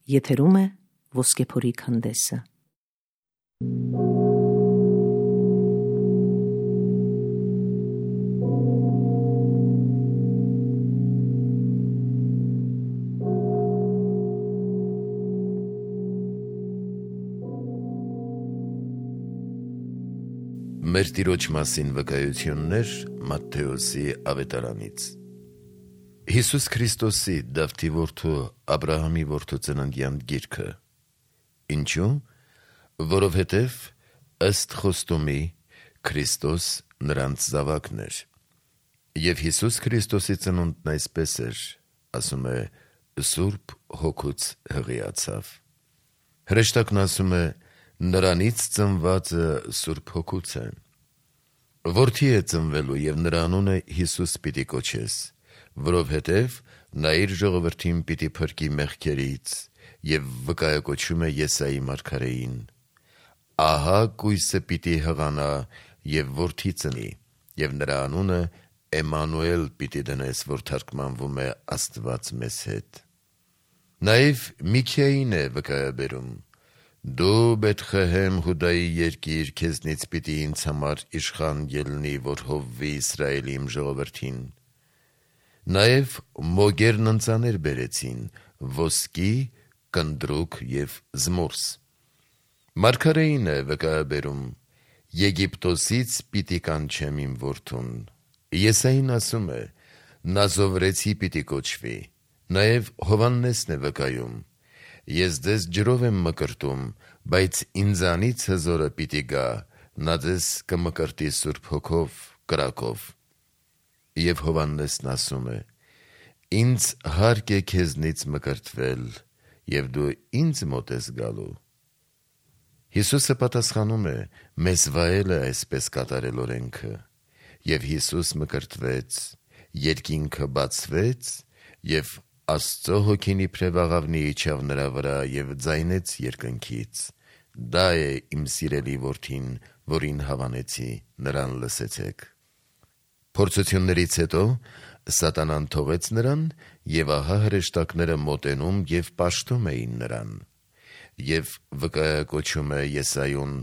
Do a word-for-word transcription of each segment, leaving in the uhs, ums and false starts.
Եթերում է Ոսկեփորի քանդեսը։ Մեր Տիրոջ մասին վկայություններ Մատթեոսի ավետարանից։ Հիսուս Քրիստոսի Դավթի որդու Աբրահամի որդու ծննդյան գիրքը։ Ինչու՞։ Որովհետև ըստ խոստումի Քրիստոս նրանց զավակն էր։ Եվ Հիսուս Քրիստոսի ծնունդն այսպես էր, ասում է Սուրբ Հոգուց հղիացավ։ Հրեշտակն ասում է նրանից ծնվածը Սուրբ Հոգուց է։ Որդի է ծնվելու և նրա անունը Հիսուս պիտի կոչես, որովհետև նա իր ժողովրդին պիտի փրկի մեղքերից, և վկայակոչում է Եսայի մարգարեին. ահա կույսը պիտի հղանա և որդի ծնի, և նրա անունը Էմմանուել պիտի դնես, որ թարգմանվում է Աստված մեզ հետ։ Նաև Միքիային է վկայաբերում. դու Բեթխեհեմ Հուդայի երկիր, քեզնից պիտի ինձ համար իշխան ելնի, որ հովվի Իսրայելի իմ ժողովրդին։ Նաև մոգերն ընծաներ բերեցին, ոսկի, կնդրուկ և զմուրս։ Մարգարեին է վկայաբերում. Եգիպտոսից պիտի կանչեմ իմ որդուն։ Եսային ասում է. Նազովրեցի պիտի կոչվի։ Նաև Հովհաննեսն է վկայում. ես ձեզ ջրով եմ մկրտում, բայց ինձանից հզորը պիտի գա, նա ձեզ կմկրտի Սուրբ Հոգով, կրակով։ Եվ Հովհաննեսն ասում է. ինձ հարկ է քեզնից մկրտվել, և դու ինձ մոտ ես գալու։ Հիսուսը պատասխանում է. մեզ վայել է այսպես կատարել օրենքը։ Եվ Հիսուս մկրտվեց, երկինքը բացվեց, և Աստծո հոգին իբրև աղավնի իջավ նրա վրա և ձայնեց երկնքից. դա է իմ սիրելի որդին, որին հավանեցի, նրան լսեցեք։ Փորձություններից հետո Սատանան թողեց նրան, և ահա հրեշտակները մոտենում և պաշտում էին նրան։ Եվ վկայակոչում է Եսայուն.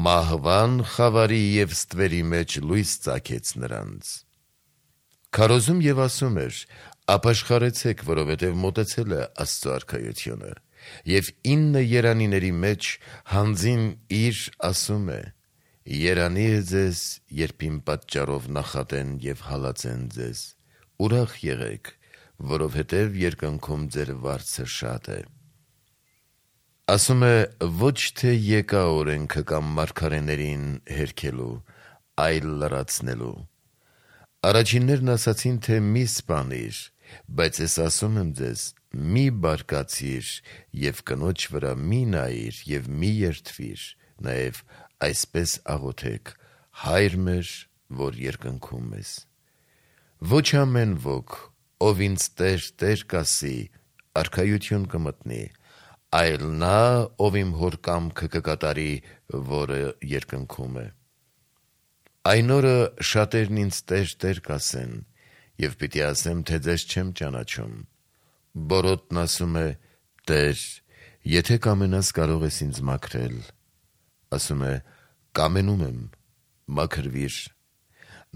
մահվան խավարի և ստվերի մեջ լույս ծագեց նրանց։ Քարոզում և ասում էր. ապաշխարեցեք, որովհետև մոտեցել է Աստծո արքայությունը։ Եվ ինը երանիների մեջ հանձին իր ասում է. երանի է ձեզ, երբ իմ պատճառով նախատեն և հալածեն ձեզ, ուրախ եղեք, որովհետև երկնքում ձեր վարձը շատ է։ Ասում է ոչ թե եկա օրենքը կամ մարգարեներին հերքելու, այլ լրացնելու։ Առաջիններն ասացին, թե մի սպանիր, բայց ես ասում եմ ձեզ. մի բարկացիր և կնոջ վրա մի նայիր և մի երդվիր, նաև այսպես աղոթեք. Հայր մեր, որ երկնքում ես։ Ոչ ամեն ոք, ով ինձ Տեր, Տեր կասի, արքայություն կմտնի, այլ նա, ով իմ Հոր կամքը կկատարի, որը երկնքում է։ Այն օրը շատերն ինձ Տեր, Տեր կասեն, և պիտի ասեմ, թե ձեզ չեմ ճանաչում։ Բորոտն ասում է. Տեր, եթե կամենաս, կարող ես ինձ մաքրել։ Ասում է. կամենում եմ, մաքրվիր։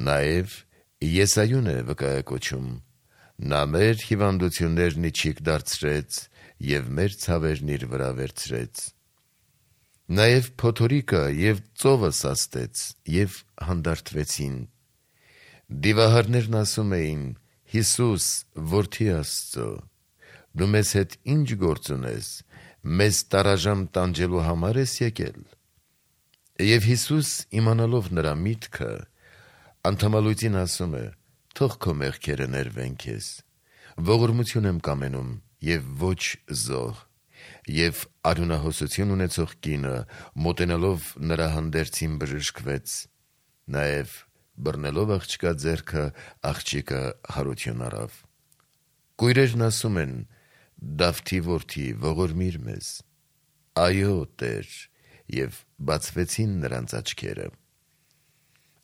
Նաև Եսայուն է վկայակոչում. նա մեր հիվանդություններն իջիկ դարձրեց և մեր ցավերն իր վրա վերցրեց։ Նաև փոթորիկը և ծովը սաստեց և հանդարտվեցին։ Դիվահարներն ասում էին. Հիսուս, որդի Աստծո, դու մեզ հետ ինչ գործ ունես, մեզ տարաժամ տանջելու համար ես եկել։ Եվ Հիսուս, իմանալով նրա միտքը, անդամալույծին ասում է. թող քո մեղքերը ներվեն քեզ, ողորմություն եմ կամենում և ոչ զոհ։ Եվ արյունահոսություն ունեցող կինը, մոտենալով նրա հանդերձին բժշկվեց։ Նաև բռնելով աղջկա ձեռքը, աղջիկը հարություն առավ։ Կույրերն ասում են. Դավթի որդի, ողորմիր մեզ։ Այո, Տեր, և բացվեցին նրանց աչքերը։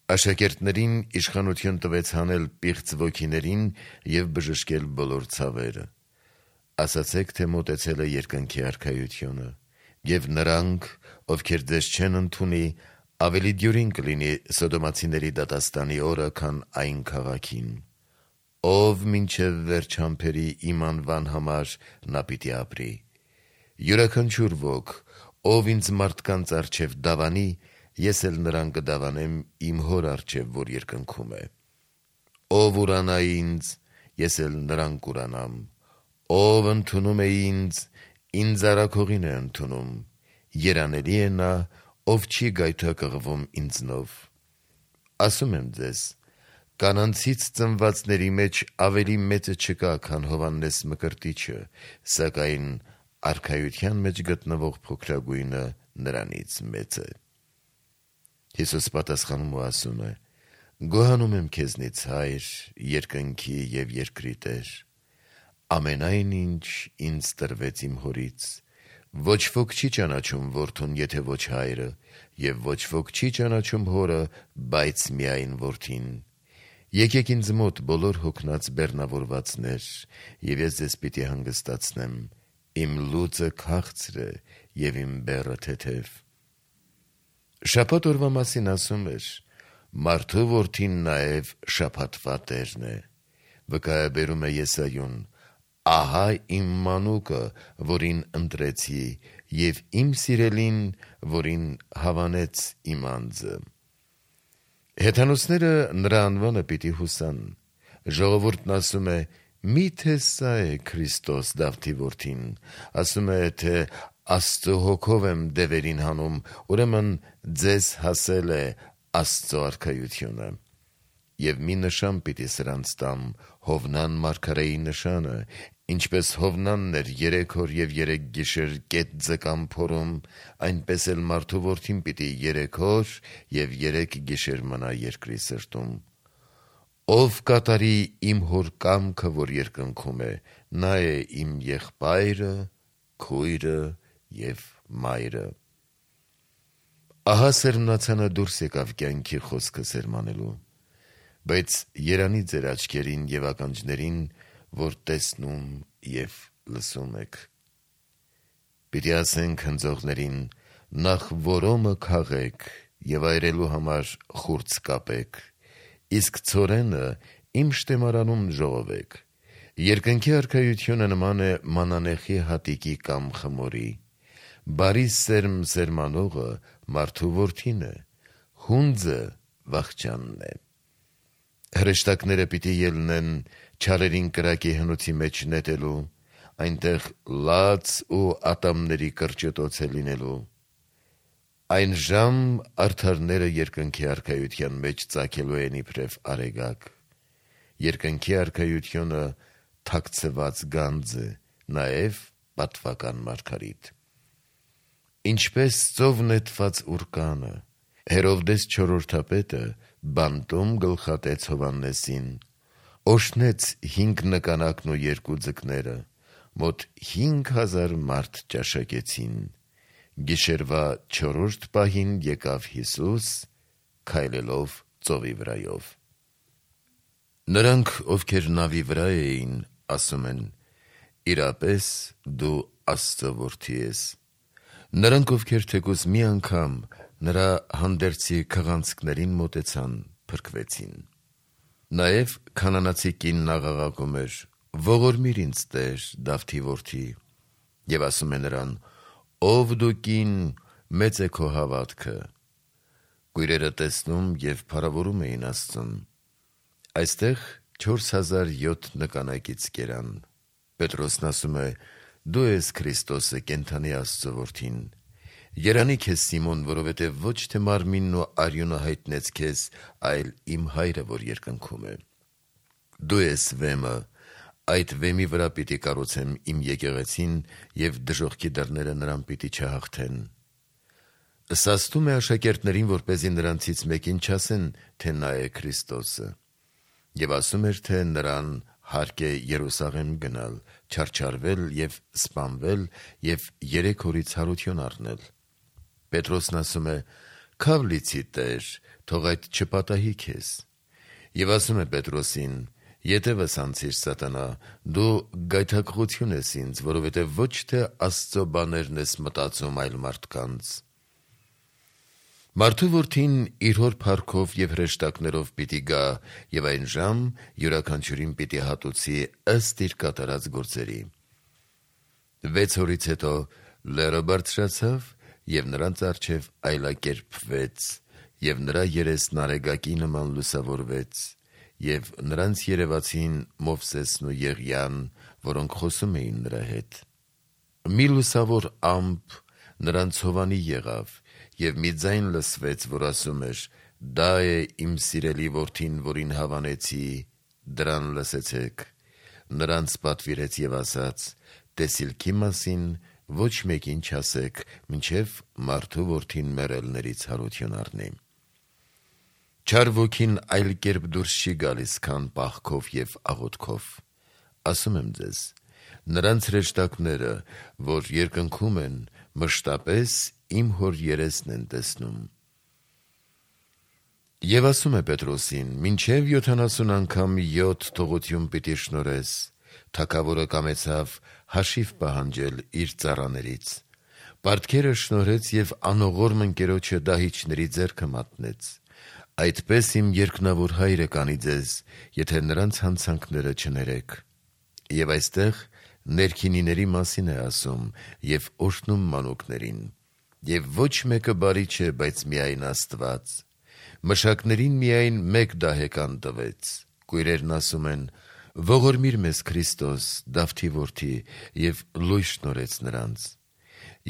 Աշակերտներին իշխանություն տվեց հանել պիղծ ոգիներին և բժշկել բոլոր ցավերը։ ասացեք, թե մոտեցել է երկնքի արքայությունը, եւ նրանք, ովքեր ձեզ չեն ընդունի, ավելի դյուրին կլինի Սոդոմացիների դատաստանի օրը, քան այն քաղաքին։ Ով մինչև վերջ համբերի իմ անվան համար, նա պիտի ապրի։ Յուրաքանչյուր ոք, ով ինձ մարդկանց առջև դավանի, ես էլ նրան կդավանեմ իմ հոր առջև, որ երկնքում է։ Ով ուրանա ինձ, ես էլ նրան կուրանամ։ Ով ընդունում է ինձ, ինձ արագողին է ընդունում։ Երանելի է նա, ով չի գայթակղվում ինձնով։ Ասում եմ ձեզ, կանանցից ծնվածների մեջ ավելի մեծը չկա, քան Հովհաննես Մկրտիչը, սակայն արքայության մեջ գտնվող փոքրագույնը նրանից մեծ է։ Հիսուս պատասխանում ու ասում է. Գոհանում եմ քեզնից, Հայր, երկնքի և երկրի Տեր, ամենայն ինչ ինձ տրվեց իմ հորից, ոչ ոք չի ճանաչում որդուն, եթե ոչ հայրը, և ոչ ոք չի ճանաչում հորը, բայց միայն որդին։ Եկեք ինձ մոտ բոլոր հոգնած բեռնավորվածներ, և ես ձեզ պիտի հանգստացնեմ, իմ լուծը քաղցր է և իմ բեռը թեթև։ Շաբաթ օրվա մասին ասում էր. Մարդու որդին նաև շաբաթվա Տերն է։ Վկայաբերում է Եսայուն. ահա իմ մանուկը, որին ընտրեցի, և իմ սիրելին, որին հավանեց իմ անձը։ Հեթանոսները նրա անվանը պիտի հուսան։ Ժողովուրդն ասում է. միթե սա է Քրիստոս, Դավթի որդին, ասում է, թե Աստծո հոգով եմ դևերին հանում, ուրեմն ձեզ հասել է Աստծո արքայությունը։ Եվ մի նշան պիտի սրանց տամ, Հովնան մարգարեի նշանը, ինչպես Հովնանն էր երեք օր և երեք գիշեր կետ ձկան փորում, այնպես էլ մարդու որդին պիտի երեք օր և երեք գիշեր մնա երկրի սրտում։ Ով կատարի իմ հոր կամքը, որ երկնքում է, նա է իմ եղբայրը, քույրը և մայրը։ Ահա սերմնացանը դուրս եկավ կյանքի խոսքը սերմանելու, բայց երանի ձեր աչքերին և ականջներին, որ տեսնում և լսում եք։ Պիտի ասենք հնձողներին, նախ որոմը քաղեք և այրելու համար խուրձ կապեք, իսկ ցորենը իմ շտեմարանում ժողովեք։ Երկնքի արքայությունը նման է մանանեխի հատիկի կամ խմորի։ Բարի սերմ սերմանողը մարդու որդին է, հունձը վախճանն է։ Հրեշտակները պիտի ելնեն չարերին կրակի հնոցի մեջ նետելու, այնտեղ լաց ու ատամների կրճտոց է լինելու։ Այն ժամ արդարները երկնքի արքայության մեջ ծագելու են իբրև արեգակ։ Երկնքի արքայությունը թաքցված գանձ է, նաև պատվական մարգարիտ։ Ինչպես ծով նետված ուռկանը, Հերովդես չորրորդապետը բանտում գլխատեց Հովհաննեսին, օշնեց հինգ նկանակն ու երկու ձկները, մոտ հինգ հազար մարդ ճաշակեցին։ Գիշերվա չորրորդ պահին եկավ Հիսուս, քայլելով ծովի վրայով։ Նրանք, ովքեր նավի վրա էին, ասում են. իրապես դու Աստծո որդի ես։ Նրանք, ովքեր թեկուզ մի անգամ նրա հանդերձի քղանցքներին մոտեցան, փրկվեցին։ Նաև քանանացի կինն աղաղակում էր. ողորմիր ինձ Տեր, Դավթի որդի, և ասում է նրան. ով դու կին, մեծ է քո հավատքը։ Կույրերը տեսնում և փառավորում էին Աստծուն։ Այստեղ չորս հազար յոթ նկանակից կերան։ Պետրոսն ասում է. դու ես Քրիստոսը, կենդանի Աստծո որդին։ Երանի քեզ, Սիմոն, որովհետև ոչ թե մարմինն ու արյունը հայտնեց քեզ, այլ իմ Հայրը, որ երկնքում է։ Դու ես վեմը, այդ վեմի վրա պիտի կառուցեմ իմ եկեղեցին, և դժոխքի դռները նրան պիտի չհաղթեն։ Սաստում է աշակերտներին, որպեսզի նրանցից մեկին չասեն, թե նա է Քրիստոսը։ Եվ ասում էր, թե նրան հարկ է Երուսաղեմ գնալ, չարչարվել և սպանվել և երեք օրից հարություն առնել։ Պետրոսն ասում է. «Քավ լիցի, Տեր, թող այդ չպատահի քեզ»։ Եվ ասում է Պետրոսին. Ետևս անցիր սատանա, դու գայթակղություն ես ինձ, որովհետև ոչ թե Աստծո բաներն ես մտածում, այլ մարդկանց։ Մարդու որդին իր հոր փառքով և հրեշտակներով պիտի գա, և այն ժամ յուրաքանչյուրին պիտի հատուցի ըստ իր կատարած գործերի։ Վեց օրից հետո լեռը բարձրացավ և նրանց առջև այլակերպվեց, և նրա երեսն արեգակի նման լուսավորվեց, և նրանց երևացին Մովսեսն ու Եղիան, որոնք խոսում էին նրա հետ։ Մի լուսավոր ամպ նրանց հովանի եղավ, և մի ձայն լսվեց, որ ասում էր. «Դա է իմ սիրելի որդին, որին հավանեցի, դրան լսեցեք»։ Նրանց պատվիրեց և ասաց. «Տեսիլքի մասին ոչ մեկին չասեք, մինչև մարդու որդին մեռելներից հարություն առնի»։ Չար ոգին այլ կերպ դուրս չի գալիս, քան պաղքով և աղոթքով։ Ասում եմ ձեզ. նրանց հրեշտակները, որ երկնքում են, մշտապես իմ հոր երեսն են տեսնում։ Եվ ասում է Պետրոսին. «Մինչև յոթանասուն անգամ յոթ թողություն պիտի շնորհես»։ Թագավորը կամեցավ հաշիվ պահանջել իր ծառաներից։ Պարտքերը շնորհեց և անողորմ ընկերոջը դահիճների ձեռքը մատնեց։ Այդպես իմ երկնավոր հայրը կանի ձեզ, եթե նրանց հանցանքները չներեք։ Եվ այստեղ ներքինիների մասին է ասում և օրհնում մանուկներին։ Եվ ոչ մեկը բարի չէ, բայց միայն Աստված։ Մշակներին միայն մեկ դահեկան տվեց։ Կույրերն ասում են. «Ողորմիր մեզ Քրիստոս, Դավթի որդի», և լույս շնորհեց նրանց։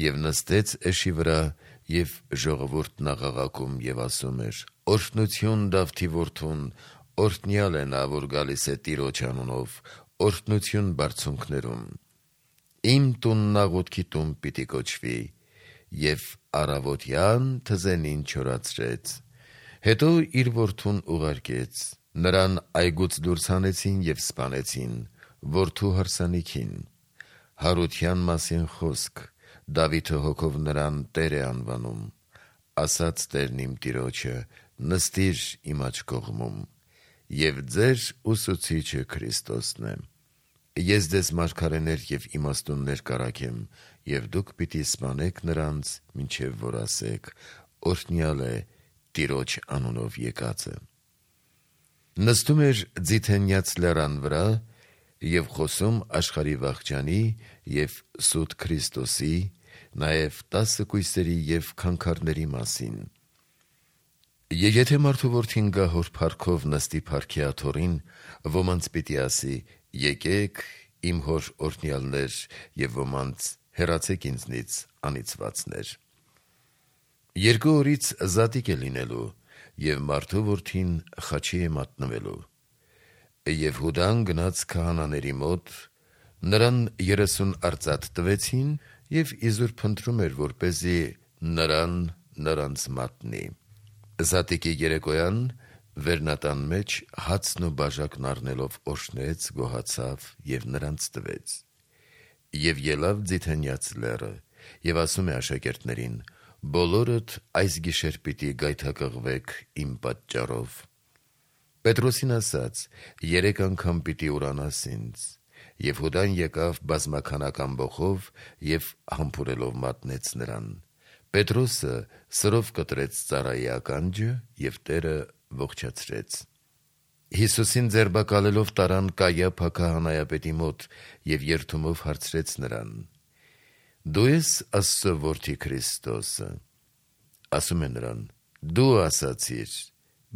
Եվ նստեց էշի վրա, և ժողովուրդն աղաղակում և ասում էր. «Օրհնություն Դավթի որդուն, օրհնյալ է նա, որ գալիս է Տիրոջ անունով, օրհնություն բարձունքներում։ Իմ տունն աղոթքի տուն պիտի կոչվի»։ Եվ առավոտյան թզենին չորացրեց։ Հետո իր որդուն ուղարկեց։ Նրան այգուց դուրս հանեցին և սպանեցին որդու հարսանիքին։ Հարության մասին խոսք. Դավիթը հոգով նրան Տեր է անվանում։ Ասաց Տերն իմ Տիրոջը. «Նստիր իմ աջ կողմում»։ Եվ ձեր ուսուցիչը Քրիստոսն է։ Ես ձեզ մարգարեներ և իմաստուններ կառաքեմ, և դուք պիտի սպանեք նրանց, մինչև որ ասեք. օրհնյալ է Տիրոջ անունով եկածը։ Նստում էր Ձիթենյաց լեռան վրա և խոսում աշխարհի վախճանի և սուտ Քրիստոսի, նաև տասը կույսերի և քանքարների մասին։ Եվ եթե մարդու որդին գա հոր փառքով նստի փառքի աթոռին, ոմանց պիտի ասի. «Եկեք, իմ հոր օրհնյալներ», և ոմանց. «Հեռացեք ինձնից, անիծվածներ»։ Երկու օրից զատիկ է լինելու, և մարդու որդին խաչի է մատնվելու։ Եվ Հուդան գնաց քահանաների մոտ, նրան երեսուն արծաթ տվեցին, և իզուր փնտրում էր, որպեսզի նրան նրանց մատնի։ Զատիկի երեկոյան վերնատան մեջ հացն ու բաժակն առնելով օրհնեց, գոհացավ և նրանց տվեց։ Եվ ելավ Ձիթենյաց լեռը, և ասում է աշակերտներին. «Բոլորդ այս գիշեր պիտի գայթակղվեք իմ պատճառով»։ Պետրոսին ասաց. «Երեք անգամ պիտի ուրանաս ինձ»։ Եվ Հուդան եկավ բազմաքանակ ամբոխով և համբուրելով մատնեց նրան։ Պետրոսը սրով կտրեց ծառայի ականջը, և Տերը ողջացրեց։ Հիսուսին ձերբակալելով տարան Կայափա քահանայապետի մոտ և երդումով հարցրեց նրան. «Դու ես Աստծո որդի Քրիստոսը»։ Ասում է նրան. «Դու ասացիր»։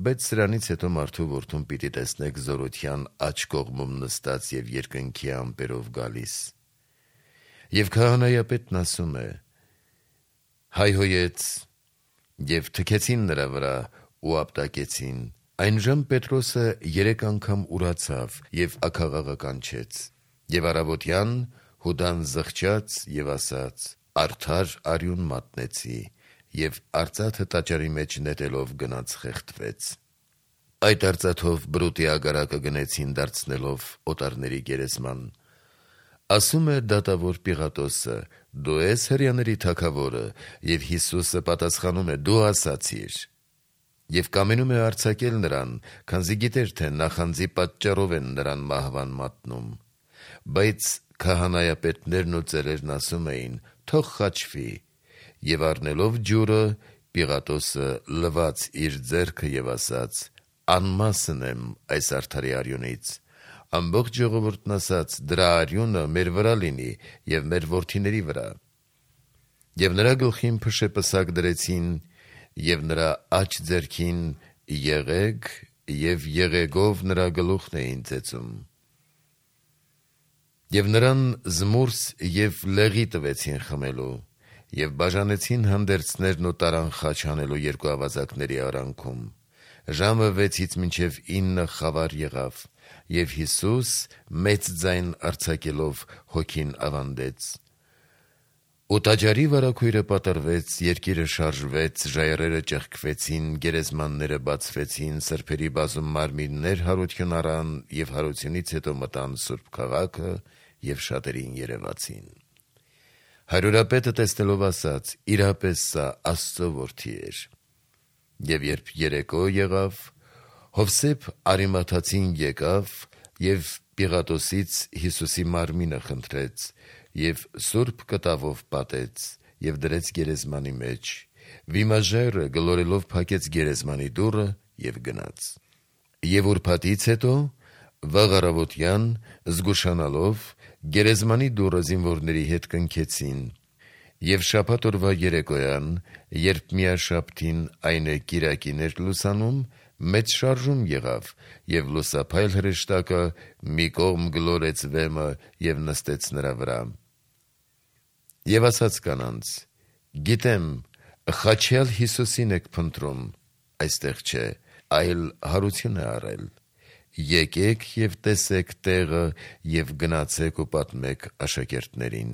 Բայց սրանից հետո մարդու որդուն պիտի տեսնեք զորության աջ կողմում նստած և երկնքի ամպերով գալիս։ Եվ քահանայապետն ասում է. հայհոյեց, և թքեցին նրա վրա ու ապտակեցին։ Այնժամ Պետրոսը երեք անգամ ուրացավ և աքաղաղը կանչեց։ Եվ առավոտյան Հուդան զղջաց և ասաց. «Արդար արյուն մատնեցի», և արծաթը տաճարի մեջ նետելով գնաց խեղդվեց։ Այդ արծաթով բրուտի ագարակը գնեցին դարձնելով օտարների գերեզման։ Ասում է դատավոր Պիղատոսը. «Դու ես հրեաների թագավորը»։ Եվ Հիսուսը պատասխանում է. «Դու ասացիր»։ Եվ կամենում է արձակել նրան, քանզի գիտեր, թե նախանձի պատճառով են նրան մահվան մատնում։ Բայց քահանայապետներն ու ծերերն ասում էին. «Թող խաչվի», եւ առնելով ջուրը, Պիղատոսը լվաց իր ձեռքը եւ ասաց. «Անմասն եմ այս արդարի արյունից»։ Ամբողջ ժողովուրդն ասաց. «Դրա արյունը մեր վրա լինի եւ մեր որդիների վրա»։ Եվ նրա գլխին փշե պսակ դրեցին եւ նրա աջ ձեռքին եղեգ եւ եղեգով նրա գլուխն էին ծեծում։ Եվ նրան զմուրս եւ լեղի տվեցին խմելու, եւ բաժանեցին հանդերձներն ու տարան խաչ հանելու երկու ավազակների արանքում։ Ժամը վեցից մինչև ինը խավար եղավ, եւ Հիսուս մեծ ձայն արձակելով հոգին ավանդեց։ Ու տաճարի վարագույրը պատռվեց, երկիրը շարժվեց, ժայռերը ճեղքվեցին, գերեզմանները բացվեցին, սրբերի բազում մարմիններ հարություն առան, եւ հարությունից հետո մտան Սուրբ քաղաքը եւ շատերին երևացին։ Հարյուրապետը տեսնելով ասաց. «Իրապես սա Աստծո որդի էր»։ Եվ երբ երեկո եղավ, Հովսեփ Արիմաթացին եկավ եւ Պիղատոսից Հիսուսի մարմինը խնդրեց եւ սուրբ կտավով պատեց եւ դրեց գերեզմանի մեջ։ Վիմաժայռը գլորելով փակեց գերեզմանի դուռը եւ գնաց։ Եվ ուրբաթից հետո վաղ առավոտյան զգուշանալով գերեզմանի դուռը զինվորների հետ կնքեցին։ Եվ շաբաթ օրվա երեկոյան, երբ միաշաբթին, այն է կիրակին էր լուսանում, մեծ շարժում եղավ, եւ լուսափայլ հրեշտակը մի կողմ գլորեց վեմը եւ նստեց նրա վրա։ Եվ ասաց կանանց. «Գիտեմ, խաչյալ Հիսուսին եք փնտրում, այստեղ չէ, այլ հարություն է առել։ Եկեք եւ տեսեք տեղը եւ գնացեք ու պատմեք աշակերտներին»։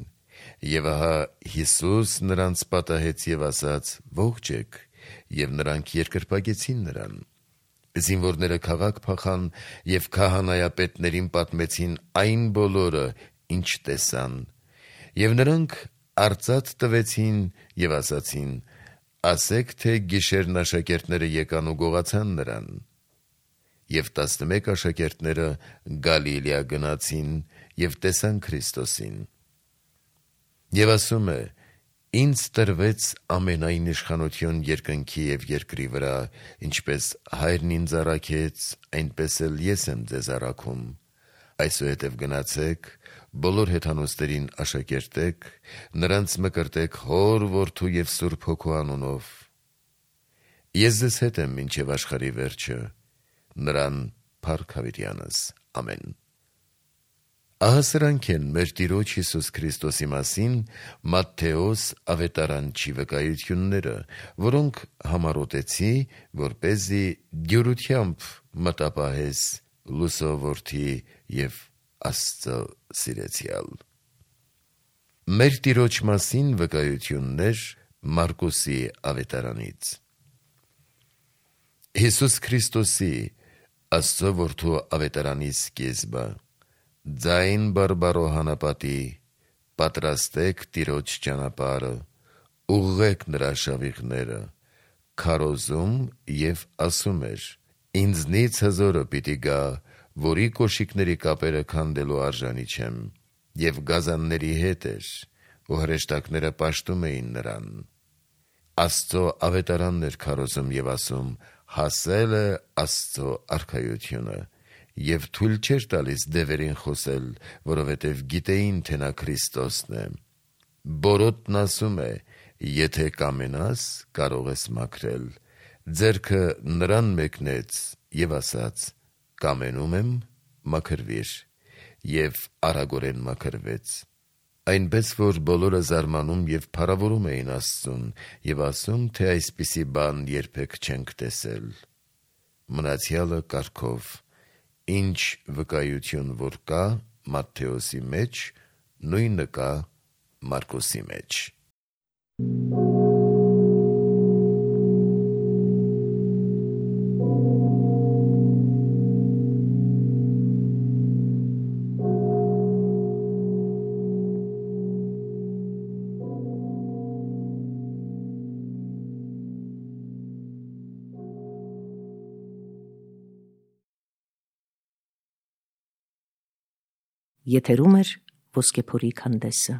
Եվ ահա Հիսուս նրանց պատահեց եւ ասաց. «Ողջեք», եւ նրանք երկրպագեցին նրան։ Զինվորները քաղաք փախան եւ քահանայապետներին պատմեցին այն բոլորը, ինչ տեսան։ Եվ նրանք արծաթ տվեցին եւ ասացին. «Ասեք, թե գիշերն աշակերտները եկան ու գողացան նրան»։ Եվ տասնմեկ աշակերտները Գալիլեա գնացին եւ տեսան Քրիստոսին։ Եվ ասում է. «Ինձ տրվեց ամենայն իշխանություն երկնքի եւ երկրի վրա, ինչպես Հայրն ինձ առաքեց, այնպես էլ ես եմ ձեզ առաքում։ Այսուհետև գնացեք, բոլոր հեթանոսներին աշակերտեք, նրանց մկրտեք Հոր, Որդու եւ Սուրբ Հոգու անունով։ Ես ձեզ հետ եմ մինչև աշխարհի վերջը։ Նրան փառք հավիտյանս։ Ամեն»։ Ահա սրանք են մեր Տիրոջ Հիսուս Քրիստոսի մասին Մատթեոս ավետարանչի վկայությունները, որոնք համառոտեցի, որպեսզի դյուրությամբ մտապահես լուսո որդի եւ Աստծո սիրեցյալ։ Մեր Տիրոջ մասին վկայություններ Մարկոսի ավետարանից։ Հիսուս Քրիստոսի Աստծո որդու ավետարանի սկիզբը։ Ձայն բարբարո հանապատի, պատրաստեք Տիրոջ ճանապարհը, ուղղեք նրա շավիղները, քարոզում եւ ասում էր. «Ինձնից հզորը պիտի գա, որի կոշիկների կապերը քանդելու արժանի չեմ», եւ գազանների հետ էր, ու հրեշտակները պաշտում էին նրան։ Աստծո ավետարանն էր քարոզում եւ ասում. «Հասել է Աստծո արքայությունը», եւ թույլ չէր տալիս դևերին խոսել, որովհետեւ գիտեին, թե նա Քրիստոսն է։ Բորոտն ասում է. «Եթե կամենաս, կարող ես մաքրել»։ Ձեռքը նրան մեկնեց եւ ասաց. «Կամենում եմ, մաքրվիր», եւ արագորեն մաքրվեց։ Այնպես որ բոլորը զարմանում եւ փառավորում էին Աստծուն եւ ասում, թե այսպիսի բան երբեք չենք տեսել։ Մնացյալը կարգով։ Ինչ վկայություն որ կա Մատթեոսի մեջ, նույնը կա Մարկոսի մեջ։ Եթերում է Ոսկեփորի քանդեսը։